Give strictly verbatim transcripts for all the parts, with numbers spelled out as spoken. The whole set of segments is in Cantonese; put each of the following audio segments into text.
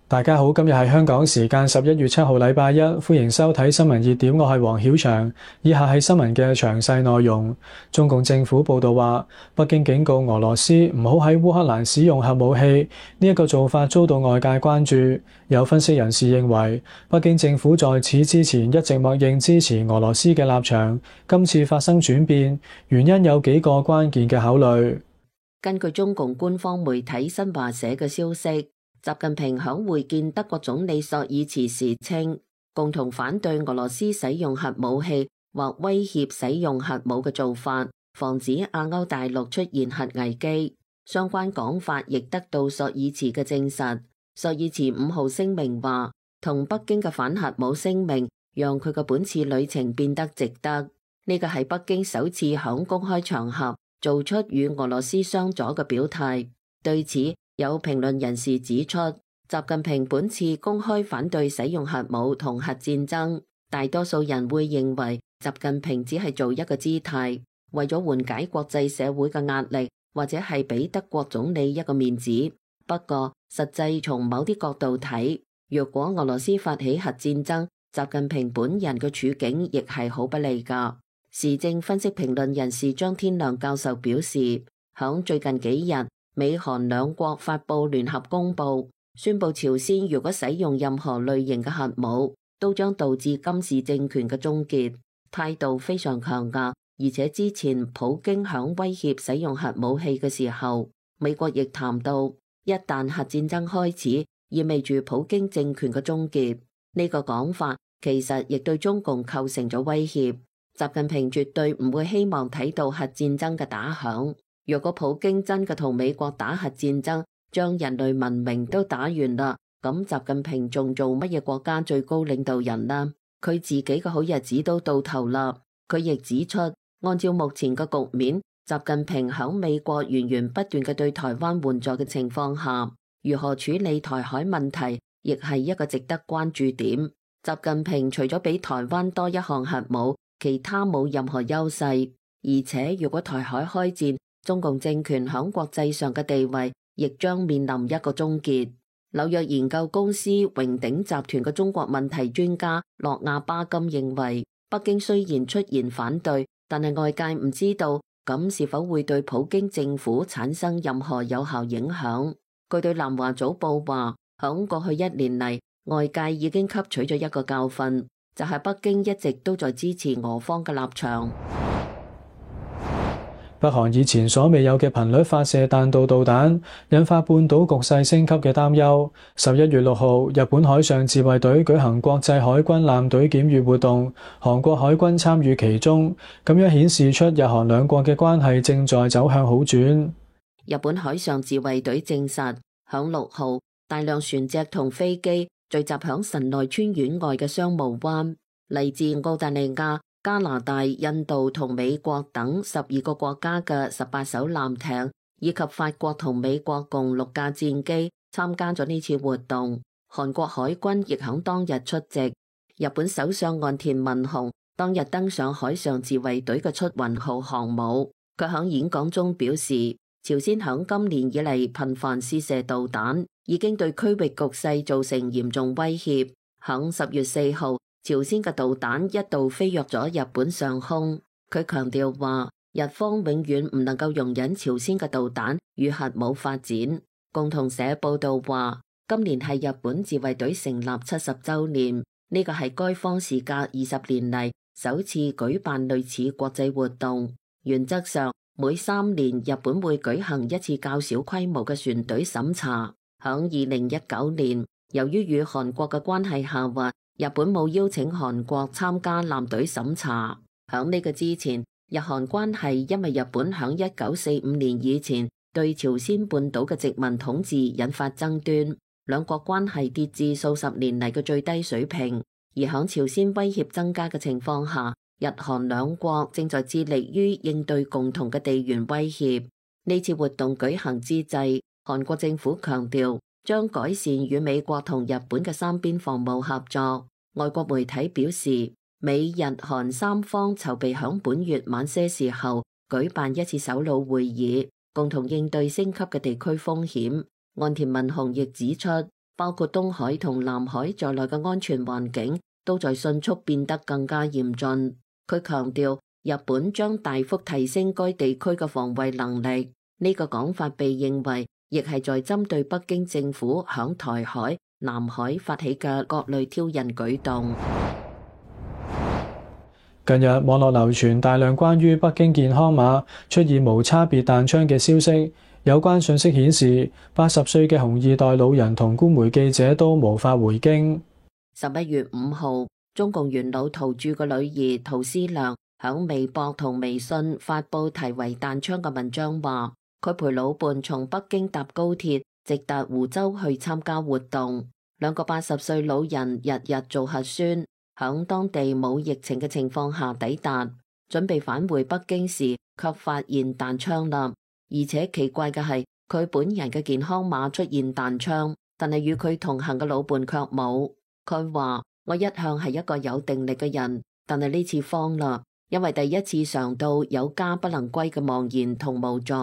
大家好，今日係香港時間十一月七號禮拜一，歡迎收睇新聞熱點，我係黃曉翔。以下係新聞嘅詳細內容。中共政府報道話，北京警告俄羅斯唔好喺烏克蘭使用核武器，呢一個做法遭到外界關注。有分析人士認為，北京政府在此之前一直默認支持俄羅斯嘅立場，今次發生轉變，原因有幾個關鍵嘅考慮。根據中共官方媒體新華社嘅消息，習近平響會見德國總理朔爾茨時稱，共同反對俄羅斯使用核武器或威脅使用核武嘅做法，防止亞歐大陸出現核危機。相關講法亦得到朔爾茨嘅證實。朔爾茨五號聲明話，同北京嘅反核武聲明，讓佢嘅本次旅程變得值得。呢個係北京首次響公開場合做出與俄羅斯相左嘅表態。對此，有評論人士指出，習近平本次公開反對使用核武同核戰爭，大多數人會認為習近平只係做一個姿態，為咗緩解國際社會嘅壓力，或者係俾德國總理一個面子。不過，實際從某啲角度睇，若果俄羅斯發起核戰爭，習近平本人嘅處境亦係好不利㗎。時政分析評論人士張天亮教授表示，響最近幾日，美韓兩國發布聯合公報，宣布朝鮮如果使用任何類型嘅核武，都將導致金氏政權嘅終結，態度非常強硬。而且之前普京響威脅使用核武器嘅時候，美國亦談到，一旦核戰爭開始，意味住普京政權嘅終結。呢個講法其實亦對中共構成咗威脅。習近平絕對唔會希望睇到核戰爭嘅打響。若果普京真嘅同美國打核戰爭，將人類文明都打完啦，咁習近平仲做乜嘢國家最高領導人啦？佢自己嘅好日子都到頭啦。佢亦指出，按照目前嘅局面，習近平響美國源源不斷嘅對台灣援助嘅情況下，如何處理台海問題，亦係一個值得關注點。習近平除咗比台灣多一項核武，其他冇任何優勢。而且如果台海開戰，中共政權響國際上嘅地位亦將面臨一個終結。紐約研究公司榮鼎集團嘅中國問題專家諾亞巴金認為，北京雖然出言反對，但係外界唔知道咁是否會對普京政府產生任何有效影響。據對南華早報話，響過去一年嚟，外界已經吸取咗一個教訓，就係北京一直都在支持俄方嘅立場。北韓以前所未有嘅頻率發射彈道導彈，引發半島局勢升級嘅擔憂。十一月六號，日本海上自衛隊舉行國際海軍艦隊檢閱活動，韓國海軍參與其中，咁樣顯示出日韓兩國嘅關係正在走向好轉。日本海上自衛隊證實，響六號，大量船隻同飛機聚集響神奈川縣外嘅商務灣，嚟自澳大利亞、加拿大、印度同美國等十二個國家嘅十八艘艦艇，以及法國同美國共六架戰機參加咗呢次活動。韓國海軍亦響當日出席。日本首相岸田文雄當日登上海上自衛隊嘅出雲號航母，佢響演講中表示，朝鮮響今年以嚟頻繁試射導彈，已經對區域局勢造成嚴重威脅。響十月四號，朝鮮嘅導彈一度飛越咗日本上空。佢強調話，日方永遠唔能夠容忍朝鮮嘅導彈與核武發展。共同社報道話，今年係日本自衛隊成立七十週年，呢個係該方時隔二十年嚟首次舉辦類似國際活動。原則上，每三年日本會舉行一次較小規模嘅船隊審查。響二零一九年，由於與韓國嘅關係下滑，日本冇邀請韓國參加艦隊審查。響呢個之前，日韓關係因為日本響一九四五年以前對朝鮮半島嘅殖民統治引發爭端，兩國關係跌至數十年嚟嘅最低水平。而響朝鮮威脅增加嘅情況下，日韓兩國正在致力於應對共同嘅地緣威脅。呢次活動舉行之際，韓國政府強調將改善與美國同日本嘅三邊防務合作。外國媒體表示，美日韓三方籌備響本月晚些時候舉辦一次首腦會議，共同應對升級嘅地區風險。岸田文雄亦指出，包括東海同南海在內嘅安全環境都在迅速變得更加嚴峻。佢強調，日本將大幅提升該地區嘅防衛能力。呢個講法被認為亦係在針對北京政府響台海、南海發起嘅各類挑釁舉動。近日網絡流傳大量關於北京健康碼出現無差別彈槍嘅消息，有關信息顯示，八十歲嘅紅二代老人同官媒記者都無法回京。十一月五號，中共元老陶鑄嘅女兒陶思亮響微博同微信發布題為《彈槍》嘅文章，話佢陪老伴從北京搭高鐵直達湖州去參加活動。兩個八十歲老人日日做核酸，響當地冇疫情嘅情況下抵達，準備返回北京時，卻發現彈槍啦。而且奇怪嘅係，佢本人嘅健康碼出現彈槍，但係與佢同行嘅老伴卻冇。佢話：我一向係一個有定力嘅人，但係呢次慌啦，因為第一次嘗到有家不能歸嘅茫然同無助。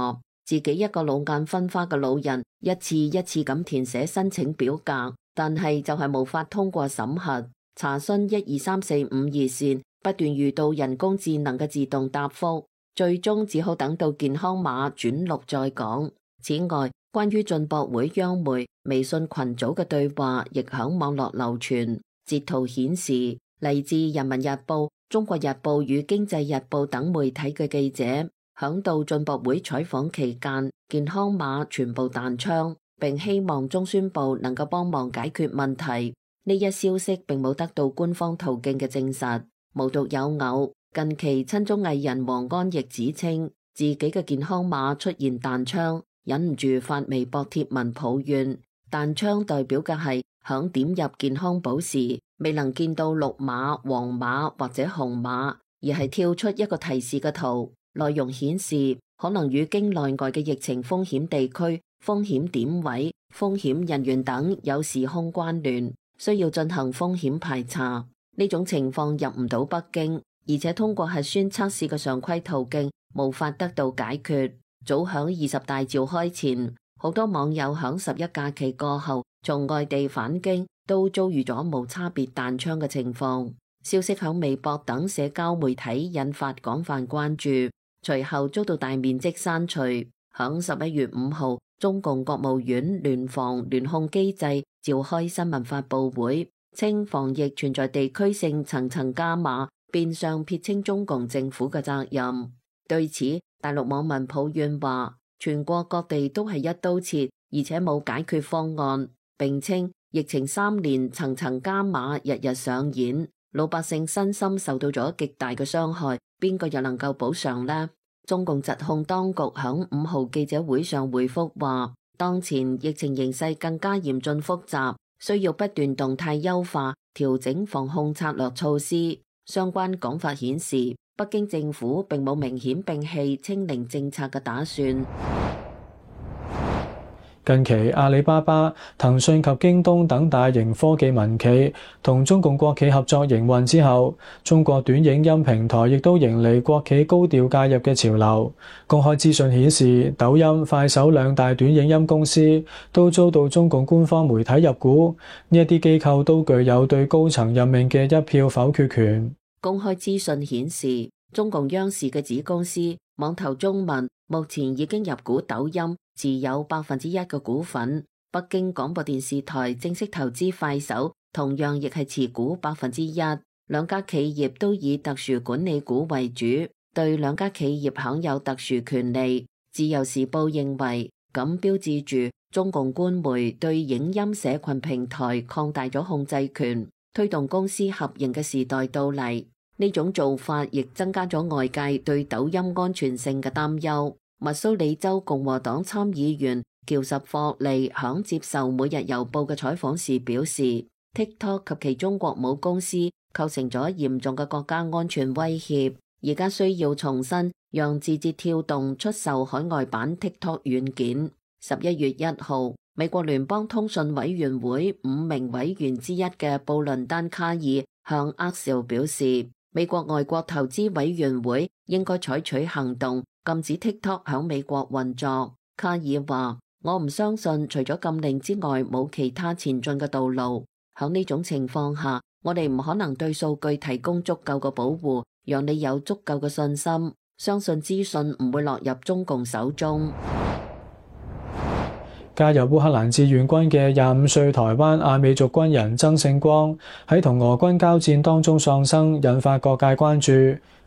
自己一個老眼昏花嘅老人，一次一次咁填寫申請表格，但係就係無法通過審核。查詢一二三四五熱線，不斷遇到人工智能嘅自動答覆，最終只好等到健康碼轉錄再講。此外，關於進博會央媒微信群組嘅對話亦響網絡流傳，截圖顯示嚟自人民日報、中國日報與經濟日報等媒體嘅記者響到進博會採訪期間，健康碼全部彈槍，並希望中宣部能夠幫忙解決問題。呢一消息並冇得到官方途徑嘅證實。無獨有偶，近期親中藝人王安憶指稱自己嘅健康碼出現彈槍，忍唔住發微博貼文抱怨。彈槍代表嘅係響點入健康寶時未能見到綠碼、黃碼或者紅碼，而係跳出一個提示嘅圖，內容顯示可能與京內外嘅疫情風險地區、風險點位、風險人員等有時空關聯，需要進行風險排查。呢種情況入唔到北京，而且通過核酸測試嘅常規途徑無法得到解決。早響二十大召開前，好多網友響十一假期過後從外地返京，都遭遇咗無差別彈槍嘅情況。消息響微博等社交媒體引發廣泛關注，隨後遭到大面積刪除。響十一月五號，中共國務院聯防聯控機制召開新聞發佈會，稱防疫存在地區性層層加碼，變相撇清中共政府嘅責任。對此，大陸網民抱怨話，全國各地都係一刀切，而且冇解決方案，並稱疫情三年層層加碼，日日上演，老百姓身心受到咗極大嘅傷害，邊個又能夠補償呢？中共疾控當局響五號記者會上回覆話，當前疫情形勢更加嚴峻複雜，需要不斷動態優化、調整防控策略措施。相關講法顯示，北京政府並冇明顯摒棄清零政策嘅打算。近期阿里巴巴、騰訊及京東等大型科技民企同中共國企合作營運之後，中國短影音平台亦都迎嚟國企高調介入嘅潮流。公開資訊顯示，抖音、快手兩大短影音公司都遭到中共官方媒體入股，呢一啲機構都具有對高層任命嘅一票否決權。公開資訊顯示，中共央視嘅子公司網投中文目前已經入股抖音，持有百分之一嘅股份。北京廣播電視台正式投資快手，同樣亦係持股百分之一。兩家企業都以特殊管理股為主，對兩家企業享有特殊權利。自由時報認為，咁標誌住中共官媒對影音社群平台擴大咗控制權，推動公司合營嘅時代到嚟。呢種做法亦增加咗外界對抖音安全性嘅擔憂。密蘇里州共和黨參議員喬什霍利響接受每日郵報嘅採訪時表示， TikTok 及其中國母公司構成咗嚴重嘅國家安全威脅，而家需要重新讓字節跳動出售海外版 TikTok 軟件。十一月一號，美國聯邦通訊委員會五名委員之一嘅布倫丹卡爾向厄紹表示，美國外國投資委員會應該採取行動，禁止 TikTok 響美國運作。卡爾話：我唔相信除咗禁令之外冇其他前進嘅道路。喺呢種情況下，我哋唔可能對數據提供足夠嘅保護，讓你有足夠嘅信心，相信資訊唔會落入中共手中。加入烏克蘭志願軍嘅廿五歲台灣阿美族軍人曾聖光喺同俄軍交戰當中喪生，引發各界關注。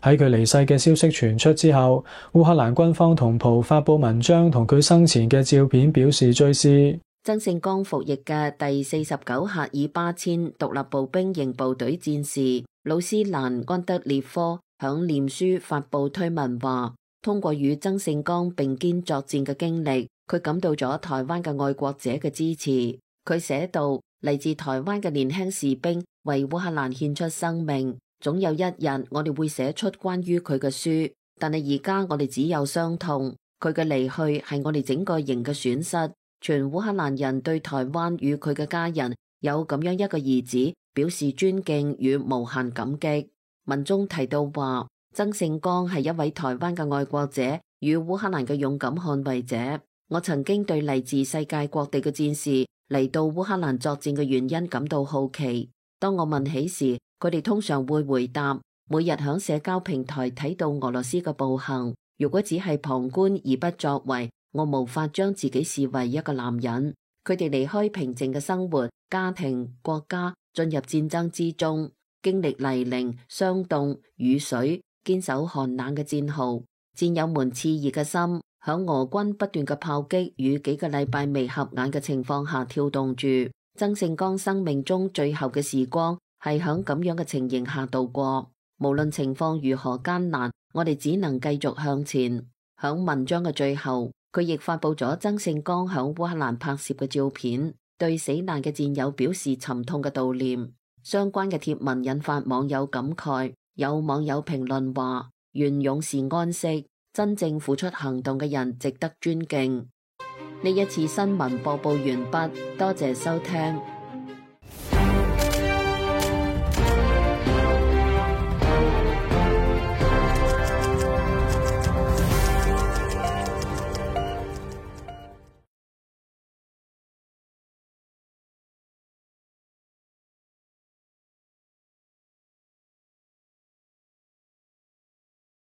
喺佢離世嘅消息傳出之後，烏克蘭軍方同袍發佈文章同佢生前嘅照片表示追思。曾聖光服役嘅第四十九赫爾巴阡獨立步兵營部隊戰士魯斯蘭安德烈科響臉書發佈推文話，通過與曾聖光並肩作戰嘅經歷，佢感到咗台灣嘅愛國者嘅支持。佢寫道，嚟自台灣嘅年輕士兵為烏克蘭獻出生命，總有一日我哋會寫出關於佢嘅書，但係而家我哋只有傷痛。佢嘅離去係我哋整個營嘅損失。全烏克蘭人對台灣與佢嘅家人有咁樣一個兒子表示尊敬與無限感激。文中提到話，曾聖光係一位台灣嘅愛國者與烏克蘭嘅勇敢捍衛者。我曾經對嚟自世界各地嘅戰士嚟到烏克蘭作戰嘅原因感到好奇。當我問起時，佢哋通常會回答，每日響社交平台睇到俄羅斯嘅暴行，如果只係旁觀而不作為，我無法將自己視為一個男人。佢哋離開平靜嘅生活、家庭、國家，進入戰爭之中，經歷泥濘、霜凍、雨水，堅守寒冷嘅戰壕。戰友們熾熱嘅心，響俄軍不斷嘅炮擊與幾個禮拜未合眼嘅情況下跳動住。曾聖光生命中最後嘅時光係響咁樣嘅情形下度過。無論情況如何艱難，我哋只能繼續向前。響文章嘅最後，佢亦發佈咗曾聖光響烏克蘭拍攝嘅照片，對死難嘅戰友表示沉痛嘅悼念。相關嘅貼文引發網友感慨，有網友評論話：願勇士安息，真正付出行動嘅人值得尊敬。呢一次新聞播報完畢，多謝收聽。